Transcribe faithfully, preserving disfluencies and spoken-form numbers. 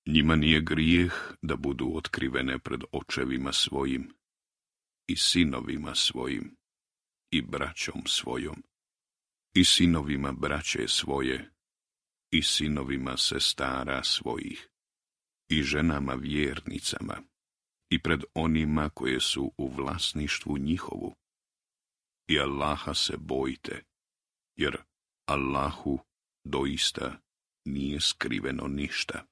Njima nije grijeh da budu otkrivene pred očevima svojim i sinovima svojim i braćom svojom i sinovima braće svoje i sinovima sestara svojih i ženama vjernicama i pred onima koje su u vlasništvu njihovu. I Allaha se bojte, jer Allahu doista nije skriveno ništa.